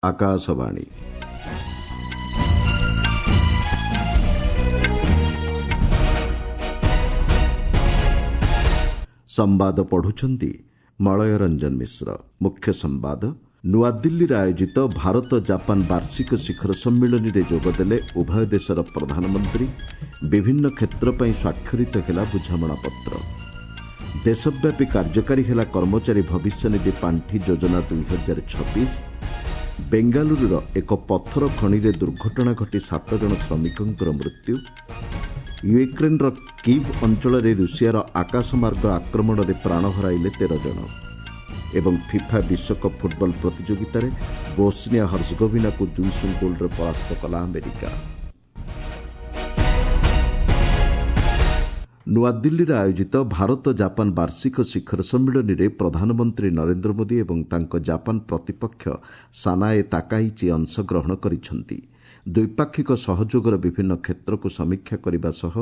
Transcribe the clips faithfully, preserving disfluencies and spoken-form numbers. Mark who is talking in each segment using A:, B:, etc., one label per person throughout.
A: ଆକାଶବାଣୀ ସମ୍ବାଦ ପଢୁଛନ୍ତି ମଳୟ ରଞ୍ଜନ ମିଶ୍ର। ମୁଖ୍ୟ ସମ୍ବାଦ। ନୂଆଦିଲ୍ଲୀରେ ଆୟୋଜିତ ଭାରତ ଜାପାନ ବାର୍ଷିକ ଶିଖର ସମ୍ମିଳନୀରେ ଯୋଗଦେଲେ ଉଭୟ ଦେଶର ପ୍ରଧାନମନ୍ତ୍ରୀ। ବିଭିନ୍ନ କ୍ଷେତ୍ର ପାଇଁ ସ୍ୱାକ୍ଷରିତ ହେଲା ବୁଝାମଣାପତ୍ର। ଦେଶବ୍ୟାପୀ କାର୍ଯ୍ୟକାରୀ ହେଲା କର୍ମଚାରୀ ଭବିଷ୍ୟନିଧି ପାଣ୍ଠି ଯୋଜନା ଦୁଇ ହଜାର ଛବିଶ। ବେଙ୍ଗାଲୁରୁର ଏକ ପଥର ଖଣିରେ ଦୁର୍ଘଟଣା ଘଟି ସାତ ଜଣ ଶ୍ରମିକଙ୍କର ମୃତ୍ୟୁ। ୟୁକ୍ରେନ୍ର କିଭ୍ ଅଞ୍ଚଳରେ ରୁଷିଆର ଆକାଶମାର୍ଗ ଆକ୍ରମଣରେ ପ୍ରାଣ ହରାଇଲେ ତେର ଜଣ। ଏବଂ ଫିଫା ବିଶ୍ୱକପ୍ ଫୁଟବଲ ପ୍ରତିଯୋଗିତାରେ ବୋସ୍ନିଆ ହର୍ଜଗୋଭିନାକୁ ଦୁଇ ଶୂନ ଗୋଲ୍ରେ ପରାସ୍ତ କଲା ଆମେରିକା। ନୂଆଦିଲ୍ଲୀରେ ଆୟୋଜିତ ଭାରତ ଜାପାନ ବାର୍ଷିକ ଶିଖର ସମ୍ମିଳନୀରେ ପ୍ରଧାନମନ୍ତ୍ରୀ ନରେନ୍ଦ୍ର ମୋଦି ଏବଂ ତାଙ୍କ ଜାପାନ ପ୍ରତିପକ୍ଷ ସାନାଏ ତାକାଇଚି ଅଂଶଗ୍ରହଣ କରିଛନ୍ତି। ଦ୍ୱିପାକ୍ଷିକ ସହଯୋଗର ବିଭିନ୍ନ କ୍ଷେତ୍ରକୁ ସମୀକ୍ଷା କରିବା ସହ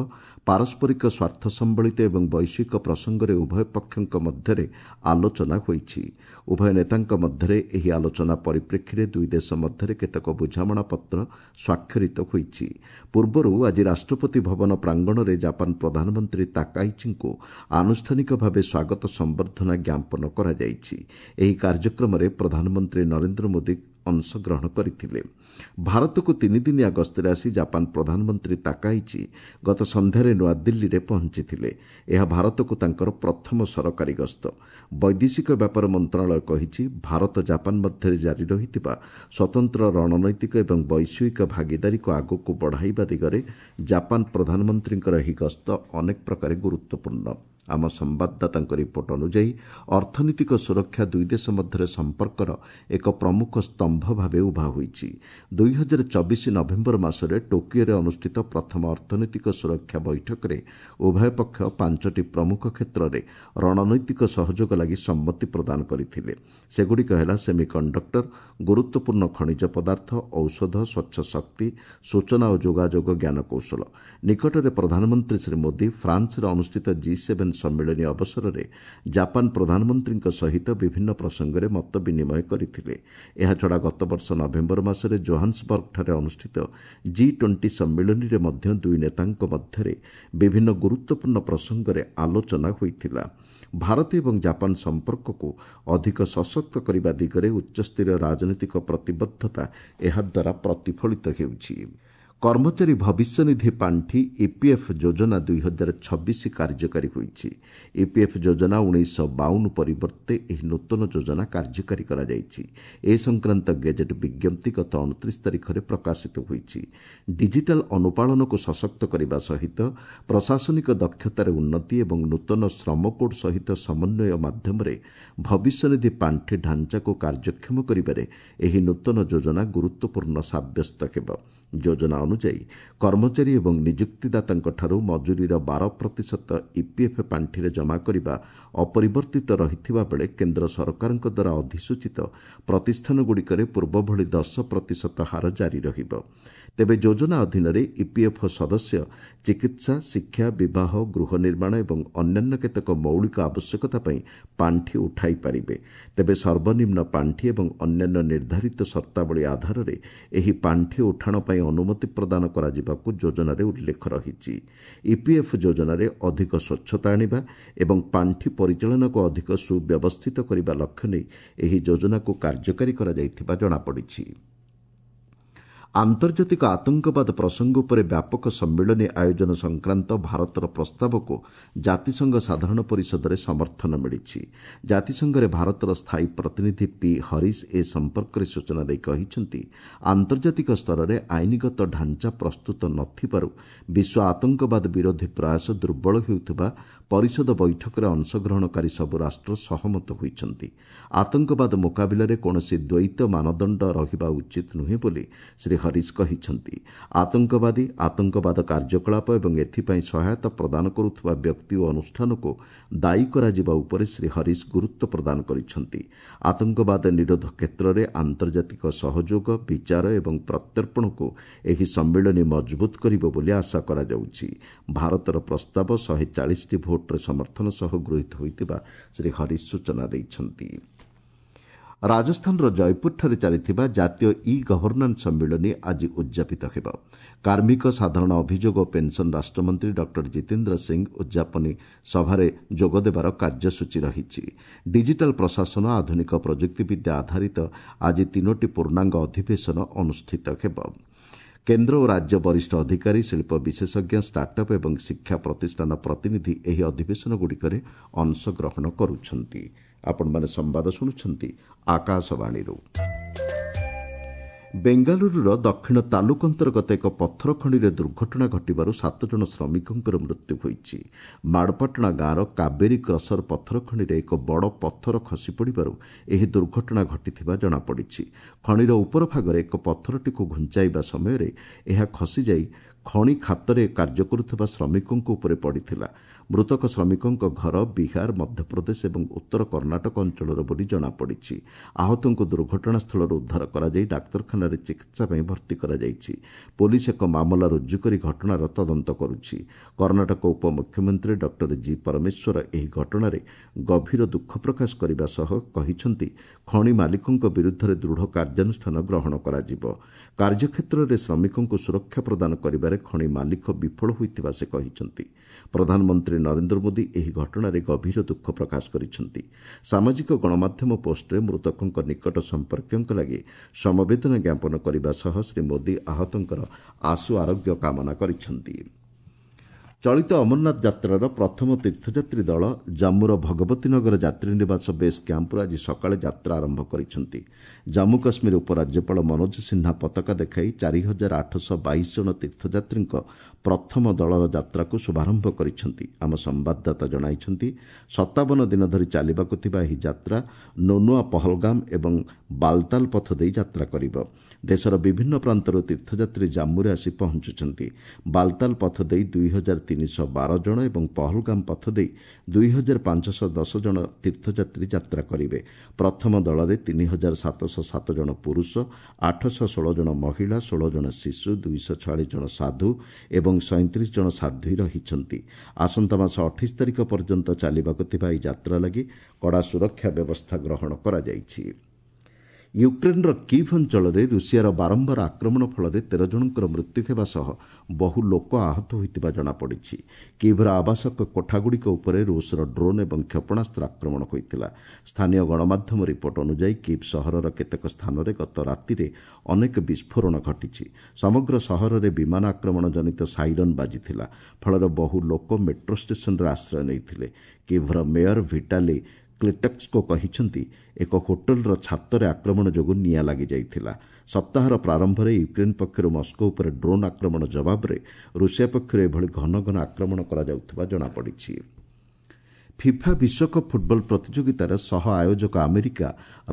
A: ପାରସ୍ପରିକ ସ୍ୱାର୍ଥ ସମ୍ବଳିତ ଏବଂ ବୈଶ୍ୱିକ ପ୍ରସଙ୍ଗରେ ଉଭୟ ପକ୍ଷଙ୍କ ମଧ୍ୟରେ ଆଲୋଚନା ହୋଇଛି। ଉଭୟ ନେତାଙ୍କ ମଧ୍ୟରେ ଏହି ଆଲୋଚନା ପରିପ୍ରେକ୍ଷୀରେ ଦୁଇ ଦେଶ ମଧ୍ୟରେ କେତେକ ବୁଝାମଣାପତ୍ର ସ୍ୱାକ୍ଷରିତ ହୋଇଛି। ପୂର୍ବରୁ ଆଜି ରାଷ୍ଟ୍ରପତି ଭବନ ପ୍ରାଙ୍ଗଣରେ ଜାପାନ ପ୍ରଧାନମନ୍ତ୍ରୀ ତାକାଇଚିଙ୍କୁ ଆନୁଷ୍ଠାନିକ ଭାବେ ସ୍ୱାଗତ ସମ୍ବର୍ଦ୍ଧନା ଜ୍ଞାପନ କରାଯାଇଛି। ଏହି କାର୍ଯ୍ୟକ୍ରମରେ ପ୍ରଧାନମନ୍ତ୍ରୀ ନରେନ୍ଦ୍ର ମୋଦି ଅଂଶଗ୍ରହଣ କରିଥିଲେ। ଭାରତକୁ ତିନିଦିନିଆ ଗସ୍ତରେ ଆସି ଜାପାନ ପ୍ରଧାନମନ୍ତ୍ରୀ ତାକାଇଚି ଗତ ସନ୍ଧ୍ୟାରେ ନୂଆଦିଲ୍ଲୀରେ ପହଞ୍ଚିଥିଲେ। ଏହା ଭାରତକୁ ତାଙ୍କର ପ୍ରଥମ ସରକାରୀ ଗସ୍ତ। ବୈଦେଶିକ ବ୍ୟାପାର ମନ୍ତ୍ରଣାଳୟ କହିଛି, ଭାରତ ଜାପାନ ମଧ୍ୟରେ ଜାରି ରହିଥିବା ସ୍ୱତନ୍ତ୍ର ରଣନୈତିକ ଏବଂ ବୈଶ୍ୱିକ ଭାଗିଦାରୀକୁ ଆଗକୁ ବଢ଼ାଇବା ଦିଗରେ ଜାପାନ ପ୍ରଧାନମନ୍ତ୍ରୀଙ୍କର ଏହି ଗସ୍ତ ଅନେକ ପ୍ରକାରେ ଗୁରୁତ୍ୱପୂର୍ଣ୍ଣ। ଆମ ସମ୍ବାଦଦାତାଙ୍କ ରିପୋର୍ଟ ଅନୁଯାୟୀ ଅର୍ଥନୈତିକ ସୁରକ୍ଷା ଦୁଇ ଦେଶ ମଧ୍ୟରେ ସମ୍ପର୍କର ଏକ ପ୍ରମୁଖ ସ୍ତମ୍ଭ ଭାବେ ଉଭା ହୋଇଛି। ଦୁଇ ହଜାର ଚବିଶ ନଭେମ୍ବର ମାସରେ ଟୋକିଓରେ ଅନୁଷ୍ଠିତ ପ୍ରଥମ ଅର୍ଥନୈତିକ ସୁରକ୍ଷା ବୈଠକରେ ଉଭୟ ପକ୍ଷ ପାଞ୍ଚଟି ପ୍ରମୁଖ କ୍ଷେତ୍ରରେ ରଣନୈତିକ ସହଯୋଗ ଲାଗି ସମ୍ମତି ପ୍ରଦାନ କରିଥିଲେ। ସେଗୁଡ଼ିକ ହେଲା ସେମିକଣ୍ଡକ୍ଟର, ଗୁରୁତ୍ୱପୂର୍ଣ୍ଣ ଖଣିଜ ପଦାର୍ଥ, ଔଷଧ, ସ୍ୱଚ୍ଛ ଶକ୍ତି, ସୂଚନା ଓ ଯୋଗାଯୋଗ ଜ୍ଞାନକୌଶଳ। ନିକଟରେ ପ୍ରଧାନମନ୍ତ୍ରୀ ଶ୍ରୀ ମୋଦି ଫ୍ରାନ୍ସରେ ଅନୁଷ୍ଠିତ ଜି ସେଭେନ୍ ସମ୍ମିଳନୀ ଅବସରରେ ଜାପାନ ପ୍ରଧାନମନ୍ତ୍ରୀଙ୍କ ସହିତ ବିଭିନ୍ନ ପ୍ରସଙ୍ଗରେ ମତ ବିନିମୟ କରିଥିଲେ। ଏହାଛଡ଼ା ଗତବର୍ଷ ନଭେମ୍ବର ମାସରେ ଜୋହାନ୍ସବର୍ଗଠାରେ ଅନୁଷ୍ଠିତ ଜି ଟ୍ୱେଣ୍ଟି ସମ୍ମିଳନୀରେ ମଧ୍ୟ ଦୁଇ ନେତାଙ୍କ ମଧ୍ୟରେ ବିଭିନ୍ନ ଗୁରୁତ୍ୱପୂର୍ଣ୍ଣ ପ୍ରସଙ୍ଗରେ ଆଲୋଚନା ହୋଇଥିଲା। ଭାରତ ଏବଂ ଜାପାନ ସମ୍ପର୍କକୁ ଅଧିକ ସଶକ୍ତ କରିବା ଦିଗରେ ଉଚ୍ଚସ୍ତରୀୟ ରାଜନୈତିକ ପ୍ରତିବଦ୍ଧତା ଏହାଦ୍ୱାରା ପ୍ରତିଫଳିତ ହେଉଛି। କର୍ମଚାରୀ ଭବିଷ୍ୟନିଧି ପାଣ୍ଠି ଇପିଏଫ୍ ଯୋଜନା ଦୁଇ ହଜାର ଛବିଶ କାର୍ଯ୍ୟକାରୀ ହୋଇଛି। ଇପିଏଫ୍ ଯୋଜନା ଉଣେଇଶହ ବାଉନ ପରିବର୍ତ୍ତେ ଏହି ନୂତନ ଯୋଜନା କାର୍ଯ୍ୟକାରୀ କରାଯାଇଛି। ଏ ସଂକ୍ରାନ୍ତ ଗେଜେଟ୍ ବିଜ୍ଞପ୍ତି ଗତ ଅଣତିରିଶ ତାରିଖରେ ପ୍ରକାଶିତ ହୋଇଛି। ଡିଜିଟାଲ ଅନୁପାଳନକୁ ସଶକ୍ତ କରିବା ସହିତ ପ୍ରଶାସନିକ ଦକ୍ଷତାରେ ଉନ୍ନତି ଏବଂ ନୂତନ ଶ୍ରମ କୋଡ୍ ସହିତ ସମନ୍ୱୟ ମାଧ୍ୟମରେ ଭବିଷ୍ୟନିଧି ପାଣ୍ଠି ଢାଞ୍ଚାକୁ କାର୍ଯ୍ୟକ୍ଷମ କରିବାରେ ଏହି ନୂତନ ଯୋଜନା ଗୁରୁତ୍ୱପୂର୍ଣ୍ଣ ସାବ୍ୟସ୍ତ ହେବ। ଯୋଜନା ଅନୁଯାୟୀ କର୍ମଚାରୀ ଏବଂ ନିଯୁକ୍ତିଦାତାଙ୍କଠାରୁ ମଜୁରୀର ବାର ପ୍ରତିଶତ ଇପିଏଫ୍ ପାଣ୍ଠିରେ ଜମା କରିବା ଅପରିବର୍ତ୍ତିତ ରହିଥିବା ବେଳେ କେନ୍ଦ୍ର ସରକାରଙ୍କ ଦ୍ୱାରା ଅଧିସୂଚିତ ପ୍ରତିଷ୍ଠାନଗୁଡ଼ିକରେ ପୂର୍ବଭଳି ଦଶ ପ୍ରତିଶତ ହାର ଜାରି ରହିବ। ତେବେ ଯୋଜନା ଅଧୀନରେ ଇପିଏଫ୍ ସଦସ୍ୟ ଚିକିତ୍ସା, ଶିକ୍ଷା, ବିବାହ, ଗୃହ ନିର୍ମାଣ ଏବଂ ଅନ୍ୟାନ୍ୟ କେତେକ ମୌଳିକ ଆବଶ୍ୟକତା ପାଇଁ ପାଣ୍ଠି ଉଠାଇ ପାରିବେ। ତେବେ ସର୍ବନିମ୍ନ ପାଣ୍ଠି ଏବଂ ଅନ୍ୟାନ୍ୟ ନିର୍ଦ୍ଧାରିତ ସର୍ତ୍ତାବଳୀ ଆଧାରରେ ଏହି ପାଣ୍ଠି ଉଠାଣ ପାଇଁ ଅନୁମତି ପ୍ରଦାନ କରାଯିବାକୁ ଯୋଜନାରେ ଉଲ୍ଲେଖ ରହିଛି। ଇପିଏଫ୍ ଯୋଜନାରେ ଅଧିକ ସ୍ୱଚ୍ଛତା ଆଣିବା ଏବଂ ପାଣ୍ଠି ପରିଚାଳନାକୁ ଅଧିକ ସୁବ୍ୟବସ୍ଥିତ କରିବା ଲକ୍ଷ୍ୟ ନେଇ ଏହି ଯୋଜନାକୁ କାର୍ଯ୍ୟକାରୀ କରାଯାଇଥିବା ଜଣାପଡ଼ିଛି। ଆନ୍ତର୍ଜାତିକ ଆତଙ୍କବାଦ ପ୍ରସଙ୍ଗ ଉପରେ ବ୍ୟାପକ ସମ୍ମିଳନୀ ଆୟୋଜନ ସଂକ୍ରାନ୍ତ ଭାରତର ପ୍ରସ୍ତାବକୁ ଜାତିସଂଘ ସାଧାରଣ ପରିଷଦରେ ସମର୍ଥନ ମିଳିଛି। ଜାତିସଂଘରେ ଭାରତର ସ୍ଥାୟୀ ପ୍ରତିନିଧି ପି ହରିଶ ଏ ସମ୍ପର୍କରେ ସୂଚନା ଦେଇ କହିଛନ୍ତି, ଆନ୍ତର୍ଜାତିକ ସ୍ତରରେ ଆଇନଗତ ଢାଞ୍ଚା ପ୍ରସ୍ତୁତ ନଥିବାରୁ ବିଶ୍ୱ ଆତଙ୍କବାଦ ବିରୋଧୀ ପ୍ରୟାସ ଦୁର୍ବଳ ହେଉଥିବା ପରିଷଦ ବୈଠକରେ ଅଂଶଗ୍ରହଣକାରୀ ସବୁ ରାଷ୍ଟ୍ର ସହମତ ହୋଇଛନ୍ତି। ଆତଙ୍କବାଦ ମୁକାବିଲାରେ କୌଣସି ଦ୍ୱୈତ ମାନଦଣ୍ଡ ରହିବା ଉଚିତ ନୁହେଁ ବୋଲି ଶ୍ରୀ ହରିଶ କହିଛନ୍ତି। ଆତଙ୍କବାଦୀ, ଆତଙ୍କବାଦ କାର୍ଯ୍ୟକଳାପ ଏବଂ ଏଥିପାଇଁ ସହାୟତା ପ୍ରଦାନ କରୁଥିବା ବ୍ୟକ୍ତି ଓ ଅନୁଷ୍ଠାନକୁ ଦାୟୀ କରାଯିବା ଉପରେ ଶ୍ରୀ ହରିଶ ଗୁରୁତ୍ୱ ପ୍ରଦାନ କରିଛନ୍ତି। ଆତଙ୍କବାଦ ନିରୋଧ କ୍ଷେତ୍ରରେ ଆନ୍ତର୍ଜାତିକ ସହଯୋଗ, ବିଚାର ଏବଂ ପ୍ରତ୍ୟର୍ପଣକୁ ଏହି ସମ୍ମିଳନୀ ମଜବୁତ କରିବ ବୋଲି ଆଶା କରାଯାଉଛି। ଭାରତର ପ୍ରସ୍ତାବ ଶହେ ଚାଳିଶଟି ଭୋଟ୍ରେ ସମର୍ଥନ ସହ ଗୃହୀତ ହୋଇଥିବା ଶ୍ରୀ ହରିଶ ସୂଚନା ଦେଇଛନ୍ତି। ରାଜସ୍ଥାନର ଜୟପୁରଠାରେ ଚାଲିଥିବା ଜାତୀୟ ଇ ଗଭର୍ଣ୍ଣାନ୍ସ ସମ୍ମିଳନୀ ଆଜି ଉଦ୍ଯାପିତ ହେବ। କାର୍ମିକ, ସାଧାରଣ ଅଭିଯୋଗ ଓ ପେନ୍ସନ୍ ରାଷ୍ଟ୍ରମନ୍ତ୍ରୀ ଡକ୍ଟର ଜିତେନ୍ଦ୍ର ସିଂ ଉଦ୍ଯାପନୀ ସଭାରେ ଯୋଗଦେବାର କାର୍ଯ୍ୟସୂଚୀ ରହିଛି। ଡିଜିଟାଲ୍ ପ୍ରଶାସନ, ଆଧୁନିକ ପ୍ରଯୁକ୍ତିବିଦ୍ୟା ଆଧାରିତ ଆଜି ତିନୋଟି ପୂର୍ଣ୍ଣାଙ୍ଗ ଅଧିବେଶନ ଅନୁଷ୍ଠିତ ହେବ। କେନ୍ଦ୍ର ଓ ରାଜ୍ୟ ବରିଷ୍ଠ ଅଧିକାରୀ, ଶିଳ୍ପ ବିଶେଷଜ୍ଞ, ଷ୍ଟାର୍ଟଅପ୍ ଏବଂ ଶିକ୍ଷା ପ୍ରତିଷ୍ଠାନ ପ୍ରତିନିଧି ଏହି ଅଧିବେଶନଗୁଡ଼ିକରେ ଅଂଶଗ୍ରହଣ କରୁଛନ୍ତି। ଆପଣମାନେ ସମ୍ବାଦ ଶୁଣୁଛନ୍ତି ଆକାଶବାଣୀରୁ। ବେଙ୍ଗାଲୁରୁର ଦକ୍ଷିଣ ତାଲୁକ ଅନ୍ତର୍ଗତ ଏକ ପଥର ଖଣିରେ ଦୁର୍ଘଟଣା ଘଟିବାରୁ ସାତ ଜଣ ଶ୍ରମିକଙ୍କର ମୃତ୍ୟୁ ହୋଇଛି। ମାଡ଼ପାଟଣା ଗାଁର କାବେରୀ କ୍ରସର ପଥର ଖଣିରେ ଏକ ବଡ଼ ପଥର ଖସି ପଡ଼ିବାରୁ ଏହି ଦୁର୍ଘଟଣା ଘଟିଥିବା ଜଣାପଡ଼ିଛି। ଖଣିର ଉପର ଭାଗରେ ଏକ ପଥରଟିକୁ ଘୁଞ୍ଚାଇବା ସମୟରେ ଏହା ଖସିଯାଇ ଖଣି ଖାତରେ କାର୍ଯ୍ୟ କରୁଥିବା ଶ୍ରମିକଙ୍କ ଉପରେ ପଡ଼ିଥିଲା। ମୃତକ ଶ୍ରମିକଙ୍କ ଘର ବିହାର, ମଧ୍ୟପ୍ରଦେଶ ଏବଂ ଉତ୍ତର କର୍ଣ୍ଣାଟକ ଅଞ୍ଚଳର ବୋଲି ଜଣାପଡ଼ିଛି। ଆହତଙ୍କୁ ଦୁର୍ଘଟଣାସ୍ଥଳରୁ ଉଦ୍ଧାର କରାଯାଇ ଡାକ୍ତରଖାନାରେ ଚିକିତ୍ସା ପାଇଁ ଭର୍ତ୍ତି କରାଯାଇଛି। ପୋଲିସ ଏକ ମାମଲା ରୁଜୁ କରି ଘଟଣାର ତଦନ୍ତ କରୁଛି। କର୍ଣ୍ଣାଟକ ଉପମୁଖ୍ୟମନ୍ତ୍ରୀ ଡକ୍ଟର ଜି ପରମେଶ୍ୱର ଏହି ଘଟଣାରେ ଗଭୀର ଦୁଃଖ ପ୍ରକାଶ କରିବା ସହ କହିଛନ୍ତି, ଖଣି ମାଲିକଙ୍କ ବିରୁଦ୍ଧରେ ଦୃଢ଼ କାର୍ଯ୍ୟାନୁଷ୍ଠାନ ଗ୍ରହଣ କରାଯିବ। କାର୍ଯ୍ୟକ୍ଷେତ୍ରରେ ଶ୍ରମିକଙ୍କୁ ସୁରକ୍ଷା ପ୍ରଦାନ କରିବାରେ ଖଣି ମାଲିକ ବିଫଳ ହୋଇଥିବା ସେ କହିଛନ୍ତି। ପ୍ରଧାନମନ୍ତ୍ରୀ ନରେନ୍ଦ୍ର ମୋଦି ଏହି ଘଟଣାରେ ଗଭୀର ଦୁଃଖ ପ୍ରକାଶ କରିଛନ୍ତି। ସାମାଜିକ ଗଣମାଧ୍ୟମ ପୋଷ୍ଟରେ ମୃତକଙ୍କ ନିକଟ ସମ୍ପର୍କୀୟଙ୍କ ଲାଗି ସମବେଦନା ଜ୍ଞାପନ କରିବା ସହ ଶ୍ରୀ ମୋଦି ଆହତଙ୍କର ଆଶୁ ଆରୋଗ୍ୟ କାମନା କରିଛନ୍ତି। ଚଳିତ ଅମରନାଥ ଯାତ୍ରାର ପ୍ରଥମ ତୀର୍ଥଯାତ୍ରୀ ଦଳ ଜାମ୍ମୁର ଭଗବତୀ ନଗର ଯାତ୍ରୀ ନିବାସ ବେସ୍ କ୍ୟାମ୍ପରୁ ଆଜି ସକାଳେ ଯାତ୍ରା ଆରମ୍ଭ କରିଛନ୍ତି। ଜାମ୍ମୁ କାଶ୍ମୀର ଉପରାଜ୍ୟପାଳ ମନୋଜ ସିହ୍ନା ପତାକା ଦେଖାଇ ଚାରି ହଜାର ଆଠଶହ ବାଇଶ ଜଣ ତୀର୍ଥଯାତ୍ରୀଙ୍କ ପ୍ରଥମ ଦଳର ଯାତ୍ରାକୁ ଶୁଭାରମ୍ଭ କରିଛନ୍ତି। ଆମ ସମ୍ବାଦଦାତା ଜଣାଇଛନ୍ତି, ସତାବନ ଦିନ ଧରି ଚାଲିବାକୁ ଥିବା ଏହି ଯାତ୍ରା ନୋନୁଆ, ପହଲଗାମ ଏବଂ ବାଲତାଲ ପଥ ଦେଇ ଯାତ୍ରା କରିବ। ଦେଶର ବିଭିନ୍ନ ପ୍ରାନ୍ତରୁ ତୀର୍ଥଯାତ୍ରୀ ଜାମ୍ମୁରେ ଆସି ପହଞ୍ଚୁଛନ୍ତି। ବାଲତାଲ ପଥ ଦେଇ ଦୁଇ ହଜାର ତିନିଶହ ବାର ଜଣ ଏବଂ ପହଲଗାମ ପଥ ଦେଇ ଦୁଇ ହଜାର ପାଞ୍ଚଶହ ଦଶ ଜଣ ତୀର୍ଥଯାତ୍ରୀ ଯାତ୍ରା କରିବେ। ପ୍ରଥମ ଦଳରେ ତିନି ହଜାର ସାତଶହ ସାତ ଜଣ ପୁରୁଷ, ଆଠଶହ ଷୋହଳ ଜଣ ମହିଳା, ଷୋହଳ ଜଣ ଶିଶୁ, ଦୁଇଶହ ଛୟାଳିଶ ଜଣ ସାଧୁ ଏବଂ ସଇଁତିରିଶ ଜଣ ସାଧ୍ୱୀ ରହିଛନ୍ତି। ଆସନ୍ତା ମାସ ଅଠେଇଶ ତାରିଖ ପର୍ଯ୍ୟନ୍ତ ଚାଲିବାକୁ ଥିବା ଏହି ଯାତ୍ରା ଲାଗି କଡ଼ା ସୁରକ୍ଷା ବ୍ୟବସ୍ଥା ଗ୍ରହଣ କରାଯାଇଛି। ୟୁକ୍ରେନ୍ର କିଭ୍ ଅଞ୍ଚଳରେ ରୁଷିଆର ବାରମ୍ବାର ଆକ୍ରମଣ ଫଳରେ ତେର ଜଣଙ୍କର ମୃତ୍ୟୁ ହେବା ସହ ବହୁ ଲୋକ ଆହତ ହୋଇଥିବା ଜଣାପଡ଼ିଛି। କିଭ୍ର ଆବାସିକ କୋଠାଗୁଡ଼ିକ ଉପରେ ରୁଷର ଡ୍ରୋନ୍ ଏବଂ କ୍ଷେପଣାସ୍ତ୍ର ଆକ୍ରମଣ ହୋଇଥିଲା। ସ୍ଥାନୀୟ ଗଣମାଧ୍ୟମ ରିପୋର୍ଟ ଅନୁଯାୟୀ କିଭ୍ ସହରର କେତେକ ସ୍ଥାନରେ ଗତ ରାତିରେ ଅନେକ ବିସ୍ଫୋରଣ ଘଟିଛି। ସମଗ୍ର ସହରରେ ବିମାନ ଆକ୍ରମଣ ଜନିତ ସାଇରନ୍ ବାଜିଥିଲା। ଫଳରେ ବହୁ ଲୋକ ମେଟ୍ରୋ ଷ୍ଟେସନରେ ଆଶ୍ରୟ ନେଇଥିଲେ। କିଭ୍ର ମେୟର ଭିଟାଲି କ୍ଲିଟସ୍କୋ କହିଛନ୍ତି, ଏକ ହୋଟେଲର ଛାତରେ ଆକ୍ରମଣ ଯୋଗୁଁ ନିଆଁ ଲାଗିଯାଇଥିଲା। ସପ୍ତାହର ପ୍ରାରମ୍ଭରେ ୟୁକ୍ରେନ୍ ପକ୍ଷରୁ ମସ୍କୋ ଉପରେ ଡ୍ରୋନ୍ ଆକ୍ରମଣ ଜବାବରେ ରୁଷିଆ ପକ୍ଷରୁ ଏଭଳି ଘନ ଘନ ଆକ୍ରମଣ କରାଯାଉଥିବା ଜଣାପଡ଼ିଛି। ଫିଫା ବିଶ୍ୱକପ୍ ଫୁଟବଲ ପ୍ରତିଯୋଗିତାର ସହ ଆୟୋଜକ ଆମେରିକା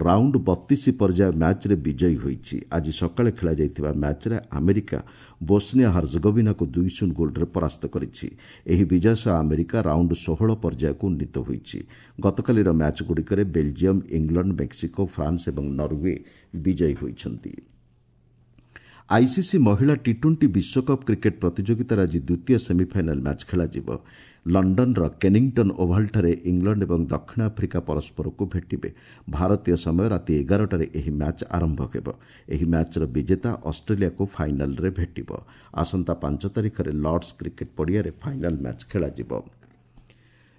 A: ରାଉଣ୍ଡ ବତିଶ ପର୍ଯ୍ୟାୟ ମ୍ୟାଚ୍ରେ ବିଜୟୀ ହୋଇଛି। ଆଜି ସକାଳେ ଖେଳାଯାଇଥିବା ମ୍ୟାଚ୍ରେ ଆମେରିକା ବୋସ୍ନିଆ ହର୍ଜଗୋଭିନାକୁ ଦୁଇ ଶୂନ ଗୋଲ୍ରେ ପରାସ୍ତ କରିଛି। ଏହି ବିଜୟ ସହ ଆମେରିକା ରାଉଣ୍ଡ ଷୋହଳ ପର୍ଯ୍ୟାୟକୁ ଉନ୍ନୀତ ହୋଇଛି। ଗତକାଲିର ମ୍ୟାଚ୍ଗୁଡ଼ିକରେ ବେଲ୍ଜିୟମ୍, ଇଂଲଣ୍ଡ, ମେକ୍ସିକୋ, ଫ୍ରାନ୍ସ ଏବଂ ନରୱେ ବିଜୟୀ ହୋଇଛନ୍ତି। ଆଇସିସି ମହିଳା ଟି ଟ୍ୱେଣ୍ଟି ବିଶ୍ୱକପ୍ କ୍ରିକେଟ୍ ପ୍ରତିଯୋଗିତାର ଆଜି ଦ୍ୱିତୀୟ ସେମିଫାଇନାଲ୍ ମ୍ୟାଚ୍ ଖେଳାଯିବ। ଲଣ୍ଡନର କେନିଂଟନ୍ ଓଭାଲଠାରେ ଇଂଲଣ୍ଡ ଏବଂ ଦକ୍ଷିଣ ଆଫ୍ରିକା ପରସ୍ପରକୁ ଭେଟିବେ। ଭାରତୀୟ ସମୟ ରାତି ଏଗାରଟାରେ ଏହି ମ୍ୟାଚ୍ ଆରମ୍ଭ ହେବ। ଏହି ମ୍ୟାଚ୍ର ବିଜେତା ଅଷ୍ଟ୍ରେଲିଆକୁ ଫାଇନାଲ୍ରେ ଭେଟିବ। ଆସନ୍ତା ପାଞ୍ଚ ତାରିଖରେ ଲର୍ଡସ୍ କ୍ରିକେଟ୍ ପଡ଼ିଆରେ ଫାଇନାଲ୍ ମ୍ୟାଚ୍ ଖେଳାଯିବ।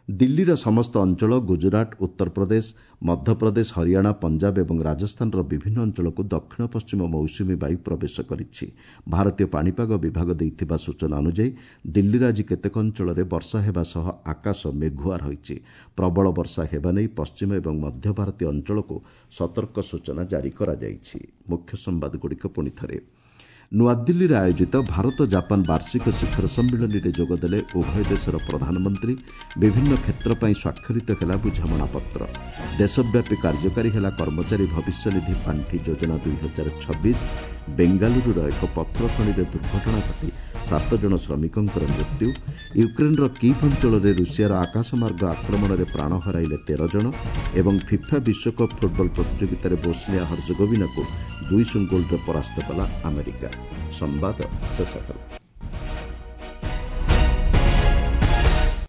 A: ଦିଲ୍ଲୀର ସମସ୍ତ ଅଞ୍ଚଳ, ଗୁଜରାଟ, ଉତ୍ତରପ୍ରଦେଶ, ମଧ୍ୟପ୍ରଦେଶ, ହରିୟାଣା, ପଞ୍ଜାବ ଏବଂ ରାଜସ୍ଥାନର ବିଭିନ୍ନ ଅଞ୍ଚଳକୁ ଦକ୍ଷିଣ ପଶ୍ଚିମ ମୌସୁମୀ ବାୟୁ ପ୍ରବେଶ କରିଛି। ଭାରତୀୟ ପାଣିପାଗ ବିଭାଗ ଦେଇଥିବା ସୂଚନା ଅନୁଯାୟୀ ଦିଲ୍ଲୀର ଆଜି କେତେକ ଅଞ୍ଚଳରେ ବର୍ଷା ହେବା ସହ ଆକାଶ ମେଘୁଆ ରହିଛି। ପ୍ରବଳ ବର୍ଷା ହେବା ନେଇ ପଶ୍ଚିମ ଏବଂ ମଧ୍ୟ ଭାରତୀୟ ଅଞ୍ଚଳକୁ ସତର୍କ ସୂଚନା ଜାରି କରାଯାଇଛି। ମୁଖ୍ୟ ସମ୍ବାଦଗୁଡ଼ିକ ପୁଣି ଥରେ। ନୂଆଦିଲ୍ଲୀରେ ଆୟୋଜିତ ଭାରତ ଜାପାନ ବାର୍ଷିକ ଶିଖର ସମ୍ମିଳନୀରେ ଯୋଗଦେଲେ ଉଭୟ ଦେଶର ପ୍ରଧାନମନ୍ତ୍ରୀ। ବିଭିନ୍ନ କ୍ଷେତ୍ର ପାଇଁ ସ୍ୱାକ୍ଷରିତ ହେଲା ବୁଝାମଣାପତ୍ର। ଦେଶବ୍ୟାପୀ କାର୍ଯ୍ୟକାରୀ ହେଲା କର୍ମଚାରୀ ଭବିଷ୍ୟନିଧି ପାଣ୍ଠି ଯୋଜନା ଦୁଇ ହଜାର ଛବିଶ। ବେଙ୍ଗାଲୁରୁର ଏକ ପଥର ଖଣିରେ ଦୁର୍ଘଟଣା ଘଟି ସାତ ଜଣ ଶ୍ରମିକଙ୍କର ମୃତ୍ୟୁ। ୟୁକ୍ରେନ୍ର କିଭ୍ ଅଞ୍ଚଳରେ ରୁଷିଆର ଆକାଶମାର୍ଗ ଆକ୍ରମଣରେ ପ୍ରାଣ ହରାଇଲେ ତେର ଜଣ। ଏବଂ ଫିଫା ବିଶ୍ୱକପ୍ ଫୁଟବଲ ପ୍ରତିଯୋଗିତାରେ ବୋସ୍ନିଆ ହର୍ଜଗୋଭିନାକୁ ଦୁଇ ଶୂନ ଗୋଲ୍ରେ ପରାସ୍ତ କଲା ଆମେରିକା। ସମ୍ବାଦ ଶେଷ ହେଲା।